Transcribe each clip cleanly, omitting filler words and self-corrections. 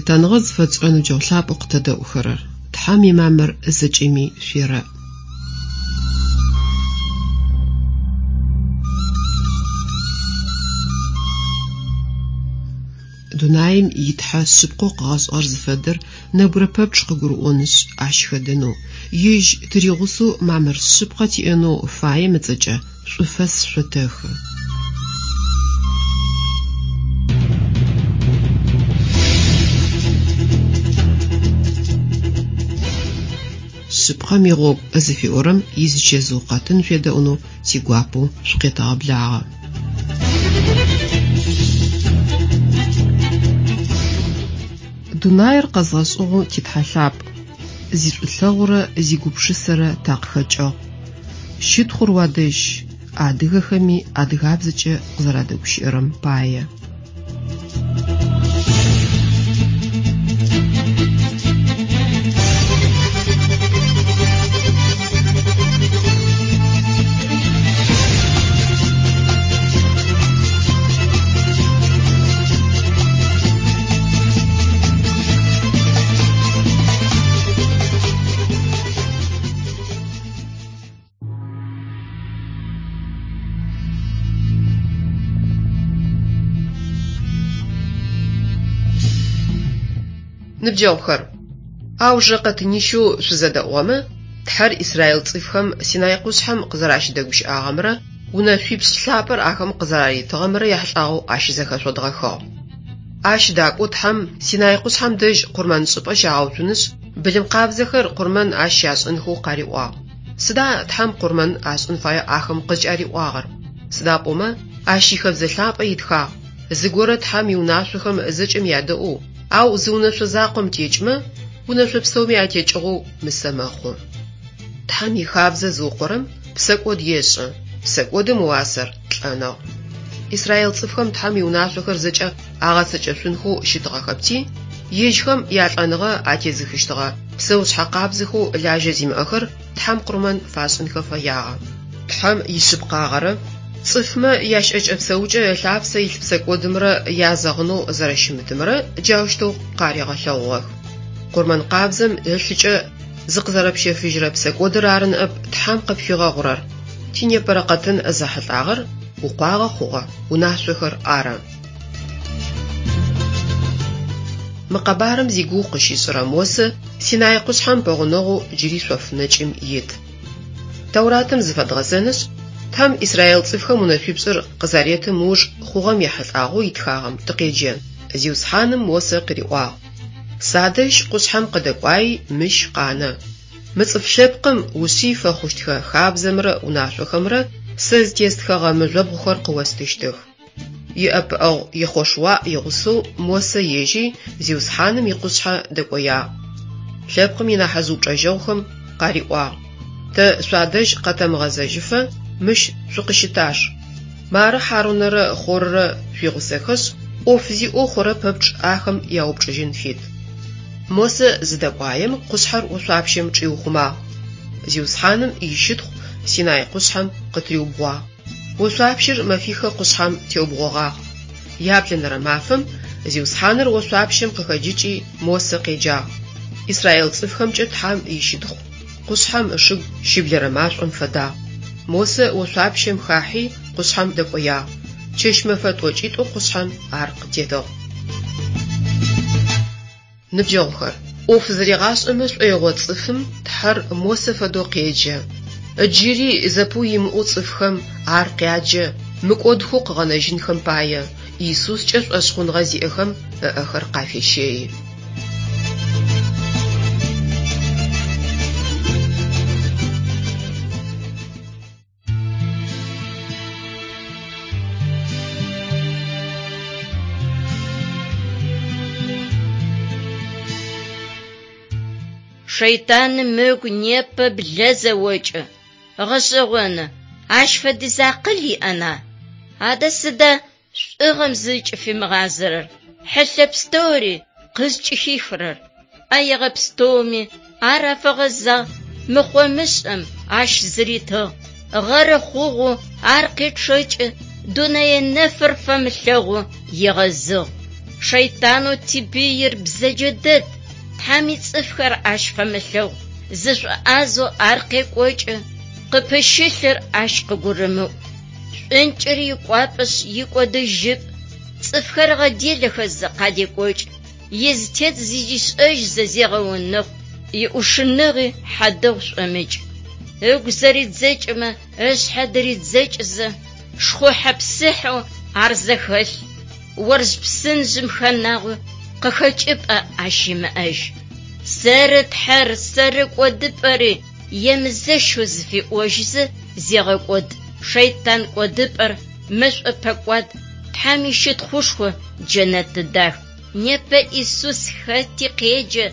Лъытэныгъэ зыфэтшӏырэ ныбджэгъу лъапӏэу къытэдэӏухэрэр, Тхьэм имамыр зэкӏэми шъуерэӏ. Дунаим и Тхьэ шъыпкъэу къыгъэшӏыгъэр зыфэдэр нэбгырэ пэпчъ къыгурыӏонышъ, ащ хэдэнэу, ежь тыригъусэу мамыр шъыпкъэ тиӏэнэу фаем ыцӏэкӏэ шӏуфэс шъотэхы. Шъыпкъэм игъогу зыфиӏорэм изычэзыу къэтын шъуедэӏунэу тигуапэу шъукъетэгъэблагъэ. Дунаир къэзгъэшӏыгъэу ти Тхьэ лъапӏ, зишӏулъэгъурэ зигупшысэрэ такъыхэкӏыгъ. Щытхъур уадэжь, адыгэхэми адыгабзэкӏэ къызэрадэгущыӏэрэм пае. Ныбджэгъухэр, аужырэ къэтынищэу шъузэдэӏугъэмэ, Тхьэр Израил цӏыфхэм Синай къушъхьэм къызэращыдэгущыӏагъэмрэ унэшъуипшӏ лъапӏэр ахэм къызэраритыгъэмрэ яхьылӏагъэу ащызэхэшъодгъэхыгъ. Ащ дакӏоу Тхьэм Синай къушъхьэм дэжь къурмэншӏыпӏэ щагъэуцунышъ, былым къабзэхэр къурмэн ащ щашӏынхэу къариӏуагъ. Сыда Тхьэм къурмэн ашӏын фаеу ахэм къызкӏариӏуагъэр? Сыда пӏомэ, ащ ихэбзэ лъапӏэ итхагъ, зыгорэ Тхьэм иунашъохэм зэкӏэм ядэӏоу, ау зы унэшъо закъом текӏмэ, унэшъо пстэуми атекӏыгъэу мысэ мэхъу. Тхьэм ихабзэ зыукъорэм псэкӏод ешӏы, псэкӏодым ыуасэр лӏэныгъ. Израил цӏыфхэм Тхьэм иунашъохэр зэкӏэ агъэцэкӏэшъунхэу щытыгъэхэпти, ежьхэм ялӏэныгъэ атезыхыщтыгъэ псэушъхьэ къабзэхэу лажьэ зимыӏэхэр Тхьэм къурмэн фашӏынхэ фэягъэ. Тхьэм ишъыпкъагъэрэ цӏыфмэ ящыӏэкӏэ-псэукӏэ ылъапсэ илъ псэкӏодымрэ язэгъынэу зэрэщымытымрэ джаущтэу къаригъэлъэгъугъэх. Къурмэн къабзэм ылъыкӏэ зыкъызэрэпщэфыжьырэ псэкӏодыр ары ныӏэп Тхьэм къыпфигъэгъурэр. Тинепэрэ къэтын зэхьылӏагъэр укъуагъэ хъугъэ унашъохэр ары. Мы къэбарым зигугъу къыщишӏырэ Мосэ Синай къушъхьэм пэгъунэгъоу джыри шъоф нэкӏым ит. Тэуратым зыфэдгъэзэнышъ, Тхьэм Израил цӏыфхэм унэшъуипшӏыр къызаретым ыуж хъугъэм ехьылӏагъэу итхагъэм тыкъеджэ. Зиусхьаным Мосэ къыриӏуагъ, Садэжь къушъхьэм къыдэкӏуаи мыщ къанэ. Мы цӏыф лъэпкъым ушъый фэхъущтхэ хабзэмрэ унашъохэмрэ сэ зытестхэгъэ мыжъобгъухэр къыостыщтых. Иӏэпыӏэгъу Ехъошуа игъусэу Мосэ ежьи Зиусхьаным икъушъхьэ дэкӏоягъ. Лъэпкъым инахьыжъ упчӏэжьэгъухэм къариӏуагъ, Тэ шъуадэжь къэтэмыгъэзэжьыфэ мыщ шъукъыщытаж. Мары Хьарунэрэ Хъоррэ шъуигъусэхэшъ, ӏоф зиӏэу хъурэ пэпчъ ахэм яупчӏыжьын фит. Мосэ зыдэкӏуаем къушъхьэр ошъуапщэм чӏиухъумагъ. Зиусхьаным ищытхъу Синай къушъхьэм къытыриубгъуагъ. Ошъуапщэр мэфихэ къушъхьэм теубгъогъагъ. Яблэнэрэ мафэм Зиусхьаныр ошъуапщэм къыхэджыкӏи Мосэ къеджагъ. Израил цӏыфхэмкӏэ Тхьэм ищытхъу къушъхьэм ышыгу щыблэрэ машӏом фэдагъ. Мосэ ошъуапщэм хахьи къушъхьэм дэкӏоягъ. Чэщ-мэфэ тӏокӏитӏо къушъхьэм ар къытетыгъ. Ныбджэгъухэр, ӏоф зыригъашӏэмэ шӏоигъо цӏыфым Тхьэр Мосэ фэдэу къеджэ. Джыри зэпыу имыӏэу цӏыфхэм ар къяджэ, мыкӏодхэу къыгъэнэжьынхэм пае, Исускӏэ шӏошъхъуныгъэ зиӏэхэм ыӏэхэр къафещэи. Шэйтаным ыгу непэ блэ зэокӏы. Гъэшӏэгъоны, ащ фэдиз акъыл иӏэна? Адэ сыда шӏугъэм зыкӏыфимыгъазэрэр, хьылъэ пстэури къызкӏыхихырэр? ӏэегъэ пстэуми ар афэгъэзагъ, мыхъо-мышӏэм ащ зыритыгъ, гъэры хъугъэу ар къечъэкӏы, дунэе нэфыр фэмылъэгъу егъэзыгъ. Шэйтанэу типыир бзэджэ дэд, Тхьэм ицӏыфхэр ащ фэмылъэгъу, зышӏоӏазэу ар къекӏокӏы, къыпыщылъыр ащ къыгурымыӏу. Шӏункӏыр икӏуапӏэшъ икӏодыжьыпӏ, цӏыфхэр ыгъэделэхэзэ къадекӏокӏы, изытет зыдишӏэжьызэ зегъэунэхъу, иӏушыныгъи хьадэгъу шӏомыкӏ. Ыгу зэридзэкӏымэ ышъхьэ дыридзэкӏызэ, шхъухьэ-псыхьэу ар зэхэлъ, орж псынжъым хэнагъэу къыхэкӏыпӏэ ащ имыӏэжь. Сэры Тхьэр, сэры кӏодыпӏэри емызэщэу зыфиӏожьызэ зегъэкӏод, шэйтан кӏодыпӏэр мэшӏо пэкӏуад, Тхьэм ищытхъушхо джэнэты дах. Непэ Исус хэти къеджэ,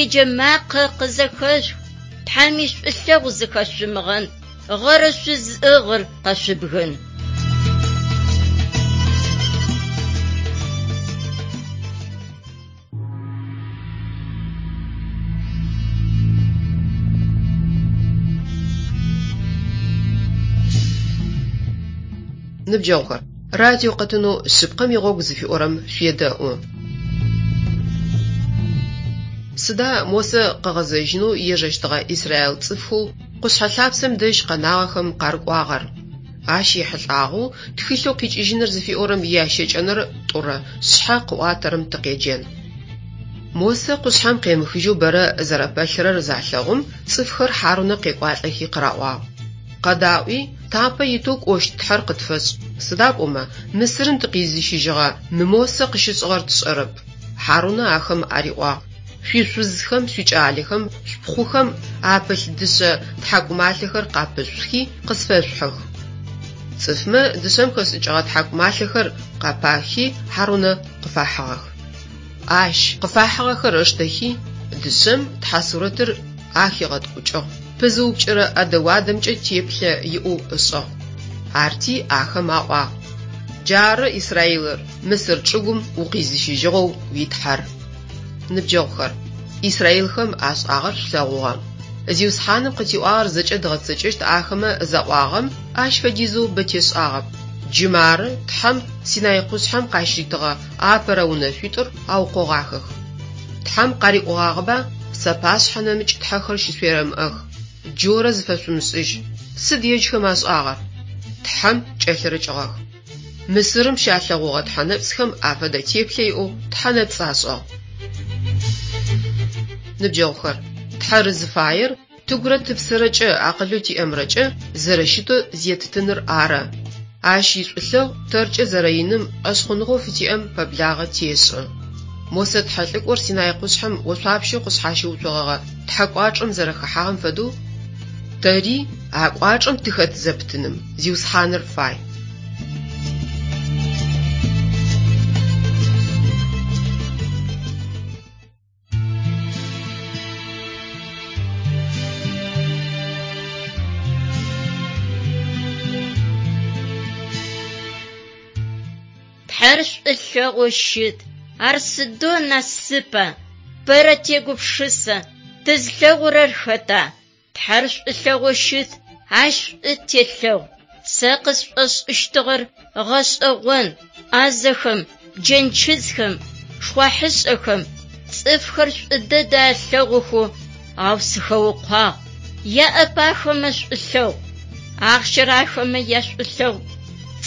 иджэмакъэ къызэхэшъух, Тхьэм ишӏулъэгъу зыхэшъумыгъэн, гъэрэ шъузыӏыгъыр къэшъубгын. Ныбджэгъухэр, радио къэтынэу Шъыпкъэм игъогу зыфиӏорэм шъуедэӏу. Сыда Мосэ къыгъэзэжьынэу ежэщтыгъэ израил цӏыфхэу къушъхьэ лъапсэм дэжь къэнагъэхэм къарыкӏуагъэр? Ащ ехьылӏагъэу тхылъэу Къикӏыжьыныр зыфиӏорэм иящэкӏэнэрэ тӏурэ шъхьэ къыӏуатэрэм тыкъеджэн. Мосэ къушъхьэм къемыхыжьэу бэрэ зэрэпэлъырэр залъэгъум, цӏыфхэр Хьарунэ къекӏуалӏэхи къыраӏуагъ: Къэдаӏуи, тапэ итэу кӏощт Тхьэр къытфэшӏ, сыда пӏомэ Мысырым тыкъизыщыжьыгъэ мы Мосэ къыщышӏыгъэр тшӏэрэп. Хьарунэ ахэм ариӏуагъ: Шъуишъузхэм, шъуикӏалэхэм, шъупхъухэм апылъ дышъэ тхьакӏумалъэхэр къапышъухи къысфэшъухьых. Цӏыфмэ дышъэм хэшӏыкӏыгъэ тхьакӏумалъэхэр къапахи Хьарунэ къыфахьыгъэх. Ащ къыфахьыгъэхэр ыштэхи, дышъэм тхьэ сурэтыр ахигъэткӏукӏыгъ, пызыупкӏырэ ӏэдэ-уадэмкӏэ теплъэ иӏэу ышӏыгъ. Арти ахэм аӏуагъ: Джары, Израилыр, Мысыр чӏыгум укъизыщыжьыгъэу уи Тхьэр. Ныбджэгъухэр, израилхэм ашӏагъэр шъулъэгъугъэ. Зиусхьаным къытиӏуагъэр зэкӏэ дгъэцэкӏэщт ахэмэ заӏуагъэм ащ фэдизэу бэ тешӏагъэп. Джы мары Тхьэм Синай къушъхьэм къащыритыгъэ апэрэ унэшъуитӏур аукъогъахэх. Тхьэм къариӏогъагъэба Сапашъхьэ нэмыкӏ тхьэхэр щышъуерэмыӏэх, джорэ зыфэшъумышӏыжь. Сыд ежьхэм ашӏагъэр? Тхьэм кӏэлъырыкӏыгъэх. Мысырым щалъэгъугъэ тхьэнэпцӏхэм афэдэ теплъэ иӏэу тхьэнэпцӏ ашӏыгъ. Ныбджэгъухэр, Тхьэр зыфаер тыгурэ тыпсэрэкӏэ акъылэу тиӏэмрэкӏэ зэрэщытэу зеттыныр ары. Ащ ишӏулъэгъу тэркӏэ зэрэиным шӏошъхъуныгъэу фытиӏэм пэблагъэ тешӏы. Мосэ тхьэлӏыкӏор Синай къушъхьэм ошъуапщэу къышъхьащыуцогъэгъэ Тхьэ кӏуачӏэм зэрэхэхьагъэм фэдэу, тэри а кӏуачӏэм тыхэт зэпытыным Зиусхьаныр фай. Тхьэр шӏулъэгъоу щыт, ар сыдэу насыпа, бэрэ тегупшысэ, тызлъэгъурэр хэта? Тхьэр шӏулъэгъоу щыт, ащ шӏу телъэгъу. Сэ къысшӏошӏыщтыгъэр гъэшӏэгъон, ӏазэхэм, джэнчыдзхэм, шхъуахьышӏэхэм, цӏыфхэр шӏу дэдэ алъэгъухэу, ау сыхэукъуагъ. Яӏэп ахэмэ шӏулъэгъу, ахъщэр ахэмэ яшӏулъэгъу.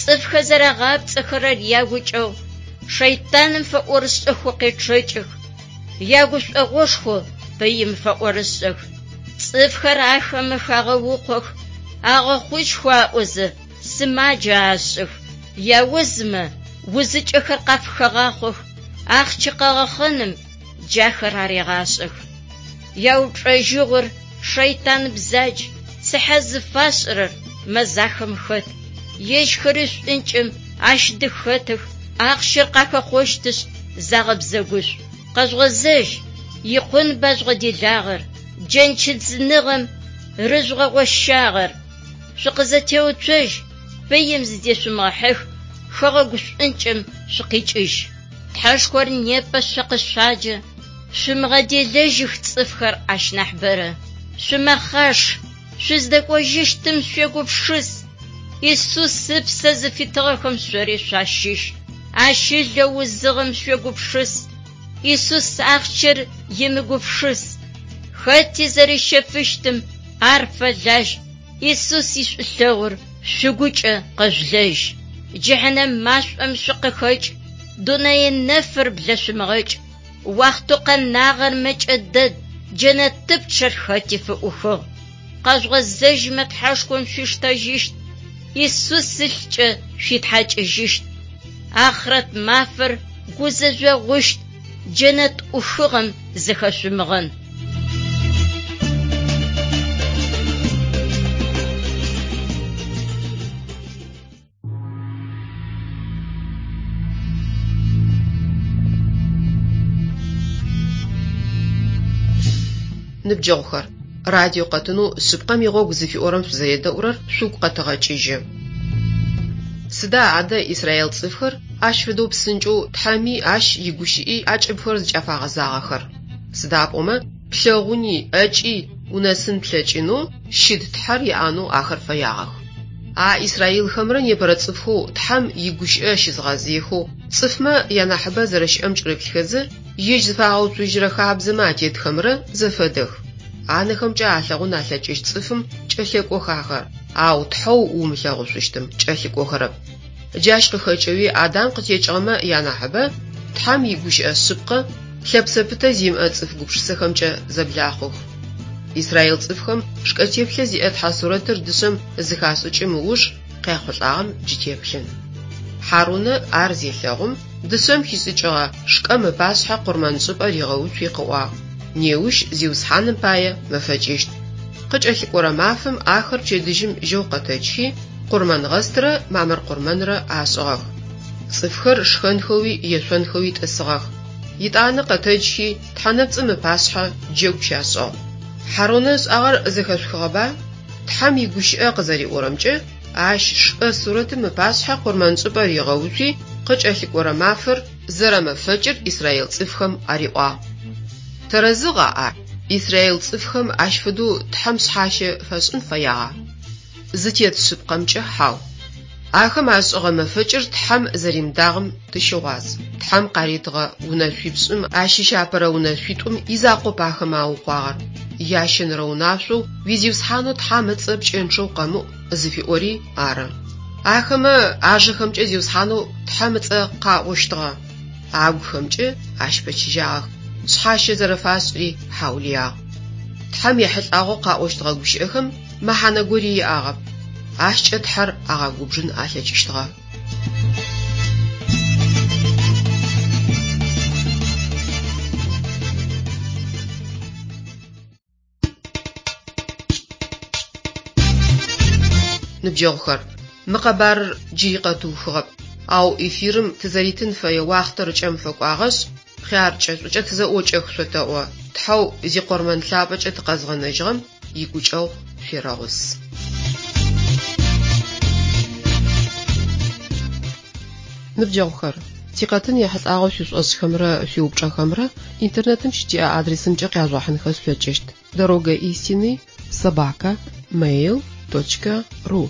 Цӏыфхэр зэрагъапцӏэхэрэр ягукӏэгъу, шэйтаным фэӏорышӏэхэу къечъэкӏых, ягушӏогъошхо пыим фэӏорышӏэх. Цӏыфхэр ахэмэ хагъэукъох, агъэхъужьхэу аӏозэ, сымаджэ ашӏых, яузымэ узыкӏэхэр къафыхагъахъох, ахъщэ къэгъэхъэным джахэр арегъашӏэх. Яупчӏэжьыгъор шэйтан бзадж, цыхьэ зыфашӏырэр мэзахэм хэт, ежьхэри шӏункӏым ащ дыхэтых, ахъщэр къахэхъощтышъ, загъэбзэгушӏу. Къэжъугъэзэжь, икъунба жъугъэделагъэр, джэнчыдзыныгъэм рыжъугъэгъощагъэр. Шъукъызэтеуцожь, пыим зыдешъумыгъэхьых, хэгъэгу шӏункӏым шъукъикӏыжь. Тхьэшхор непэ шъо къышъуаджэ, шъумыгъэделэжьых цӏыфхэр ащ нахь бэрэ. Шъумэхъаш, шъуздэкӏожьыщтым шъуегупшыс. Исус ыпсэ зыфитыгъэхэм шъори шъуащыщ. Ащ ылэу узыгъэм шъуегупшыс, Исус ахъщэр имыгупшыс. Хэти зэрищэфыщтым ар фэлажь, Исус ишӏулъэгъур шъугукӏэ къэжъулэжь. Джыхьэнэм машӏом шъукъыхэкӏ, дунэе нэфыр блэшъумыгъэкӏ. Уахътэу къэнагъэр мэкӏэ дэд, джэнэтыпчъэр хэти фыӏухыгъ. Къэжъугъэзэжьмэ Тхьэшхом шъуиштэжьыщт, Исус ылъкӏэ шъуитхьакӏыжьыщт. Ахърэт мафэр гузэжъогъущт, джэнэт ӏухыгъэм зыхэшъумыгъэн. Ныбджэгъухэр, радио къэтынэу Шъыпкъэм игъогу зыфиӏорэм шъузэредэӏурэр шъугу къэтэгъэкӏыжьы. Сыда адэ израил цӏыфхэр ащ фэдэу псынкӏэу Тхьэми ащ игущыӏи акӏыбхэр зыкӏафагъэзагъэхэр? Сыда пӏомэ плъэгъуни ӏэкӏи унэсын плъэкӏынэу щыт Тхьэр яӏэнэу ахэр фэягъэх. А израилхэмрэ непэрэ цӏыфхэу Тхьэм игущыӏэ щызгъэзыехэу цӏыфмэ янахьыбэ зэрэщыӏэм кӏырыплъхэзэ, ежь зыфагъэуцужьырэ хабзэмэ атетхэмрэ зэфэдэх. Анэхэмкӏэ алъэгъун алъэкӏыщт цӏыфым кӏэлъэкӏох ахэр, ау Тхьэу умылъэгъушъущтым кӏэлъыкӏохэрэп. Джащ къыхэкӏэуи Адам къытекӏыгъэмэ янахьыбэ Тхьэм игущыӏэ шъыпкъэ лъэпсэ пытэ зимыӏэ цӏыф гупшысэхэмкӏэ зэблахъух. Израил цӏыфхэм шкӏэ теплъэ зиӏэ Тхьэ сурэтыр дышъэм зыхашӏыкӏым ыуж къяхъулӏагъэм джы теплъын. Хьарунэ ар зелъэгъум, дышъэм хишӏыкӏыгъэ шкӏэм ыпашъхьэ къурмэншӏыпӏэ ригъэуцуи къыӏуагъ: Неущ Зиусхьаным пае мэфэкӏыщт. Къыкӏэлъыкӏорэ мафэм ахэр пчэдыжьым жьэу къэтэджхи, къурмэнгъэстрэ мамыр къурмэнрэ ашӏыгъэх. Цӏыфхэр шхэнхэуи ешъонхэуи тӏысыгъэх. Етӏанэ къэтэджхи, тхьэнэпцӏым ыпашъхьэ джэгу щашӏыгъ. Хьарунэ ышӏагъэр зэхэшъухыгъэба? Тхьэм игущыӏэ къызэриӏорэмкӏэ, ащ шкӏэ сурэтым ыпашъхьэ къурмэншӏыпӏэ ригъэуцуи, къыкӏэлъыкӏорэ мафэр зэрэмэфэкӏыр израил цӏыфхэм ариӏуагъ. Тэрэзыгъа ар? Израил цӏыфхэм ащ фэдэу Тхьэм шъхьащэ фашӏын фэягъа? Зытет шъыпкъэмкӏэ хьау. Ахэм ашӏыгъэ мэфэкӏыр Тхьэм зэримыдагъэм тыщыгъуаз. Тхьэм къаритыгъэ унэшъуипшӏым ащыщ апэрэ унэшъуитӏум изакъоп ахэмэ аукъуагъэр. Ящэнэрэ унашъоу уи Зиусхьанэу Тхьэм ыцӏэ пкӏэнчъэу къэмыӏу зыфиӏори ары. Ахэмэ ажэхэмкӏэ Зиусхьанэу Тхьэм ыцӏэ къаӏощтыгъэ, агухэмкӏэ ащ пэчыжьагъэх, шъхьащэ зэрэфашӏыри хьаулыягъ. Тхьэм ехьылӏагъэу къаӏощтыгъэ гущыӏэхэм мэхьанэ гори иӏагъэп, ащкӏэ Тхьэр агъэгубжын алъэкӏыщтыгъэ. Ныбджэгъухэр, мы къэбарыр джыри къэтыухыгъэп, ау эфирым тызэритын фэе уахътэр ыкӏэм фэкӏуагъэшъ, хъяркӏэ шӏукӏэ тызэӏокӏэх шъотэӏо, Тхьэу зикъормэн лъапӏэкӏэ тыкъэзгъэнэжьыгъэм игукӏэгъу шъуерэгъус. Ныбджэгъухэр, тикъэтын ехьылӏагъэу шъуишӏошӏхэмрэ шъуиупчӏэхэмрэ интернетым щытиӏэ адресымкӏэ къяжъугъэхьынхэ шъулъэкӏыщт: дорога истины собака mail.ru.